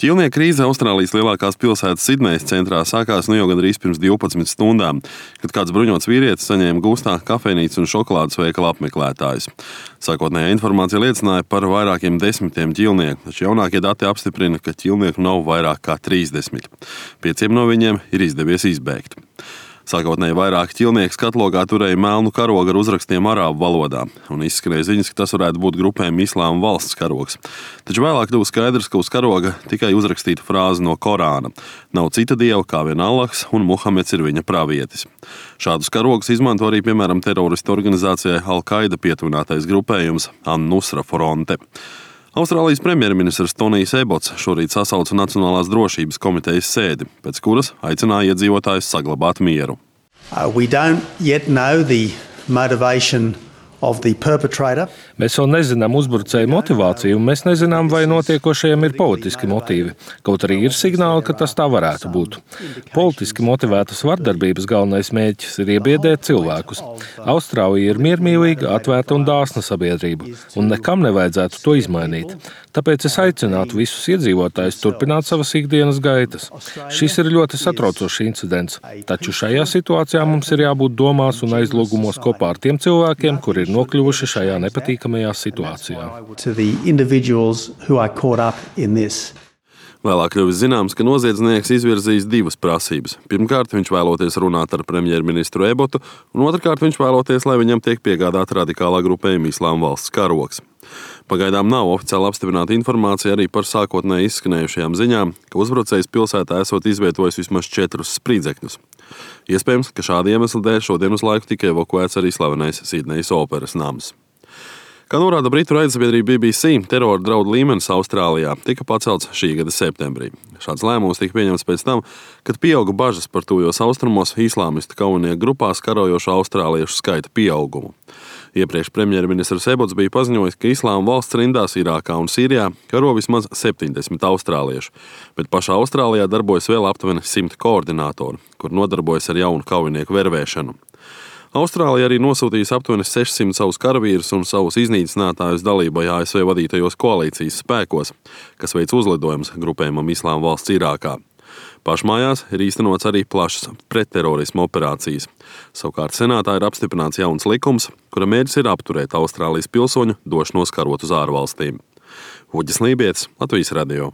Ķīlnieku krīze Austrālijas lielākās pilsētas Sidnejas centrā sākās jau gandrīz pirms 12 stundām, kad kāds bruņots vīrietis saņēma gūstā kafejnīcu un šokolādes veikala apmeklētājus. Sākotnējā informācija liecināja par vairākiem desmitiem ķīlnieku, taču jaunākie dati apstiprina, ka ķīlnieku nav vairāk kā 30. 5 no viņiem ir izdevies izbēgt. Sākotnēji vairāki ķīlnieki skatlogā turēja melnu karogu ar uzrakstiem arābu valodā, un izskanēja ziņas, ka tas varētu būt grupējuma Islāma valsts karogs. Taču vēlāk kļuva skaidrs, ka uz karoga tikai uzrakstīta frāze no Korāna: "Nav cita dieva kā vien Allahs, un Muhameds ir viņa pravietis." Šādus karogus izmanto arī, piemēram, teroristu organizācijai Al-Qaida pietuvinātais grupējums An-Nusra Fronte. Austrālijas premjerministrs Tonijs Ebots šorīt sasauca Nacionālās drošības komitejas sēdi, pēc kuras aicināja iedzīvotājus saglabāt mieru. We don't yet know the motivation of the perpetrator. Mēs vēl nezinām uzbrucēju motivāciju, un mēs nezinām, vai notiekošajiem ir politiski motīvi. Kaut arī ir signāli, ka tas tā varētu būt. Politiski motivētas vardarbības galvenais mērķis ir iebiedēt cilvēkus. Austrālija ir miermīlīga, atvērta un dāsna sabiedrība, un nekam nevajadzētu to izmainīt. Tāpēc es aicinātu visus iedzīvotājus turpināt savas ikdienas gaitas. Šis ir ļoti satraucošs incidents, taču šajā situācijā mums ir jābūt domās un aizlūgumos kopā ar tiem cilvēkiem, kuri ir nokļuvuši šajā nepatīkamajā situācijā. Vēlāk kļuvis zināms, ka noziedznieks izvirzījis divas prasības. Pirmkārt, viņš vēloties runāt ar premjerministru Ebotu, un otrkārt, viņš vēloties, lai viņam tiek piegādāta radikālā grupējuma Islāma valsts karogs. Pagaidām nav oficiāli apstiprināta informācija arī par sākotnēji izskanējušajām ziņām, ka uzbrucējs pilsētā esot izvietojis vismaz 4 spridzekļus. Iespējams, ka šāda iemesla dēļ šodien uz laiku tika evakuēts arī slavenais Sidnejas operas nams. Kā norāda britu raidsabiedrība BBC, terora draudu līmenis Austrālijā tika pacelts šī gada septembrī. Šāds lēmums tika pieņemts pēc tam, kad pieauga bažas par tuvajos austrumos islāmistu kaujinieku grupās karojošo austrāliešu skaita pieaugumu. Iepriekš premjerministrs Ebots bija paziņojis, ka Islāma valsts rindās Irākā un Sīrijā karo vismaz 70 austrāliešu, bet pašā Austrālijā darbojas vēl aptuveni 100 koordinātori, kur nodarbojas ar jaunu kaujinieku vervēšanu. Austrālija arī nosūtījis aptuveni 600 savus karavīrus un savus iznīcinātājus dalībai ASV vadītajos koalīcijas spēkos, kas veic uzlidojumus grupējumam Islāma valsts Irākā. Pašmājās ir īstenots arī plašas pretterorisma operācijas. Savukārt senātā ir apstiprināts jauns likums, kura mērķis ir apturēt Austrālijas pilsoņu došanos karot uz ārvalstīm. Uģis Lībietis, Latvijas radio.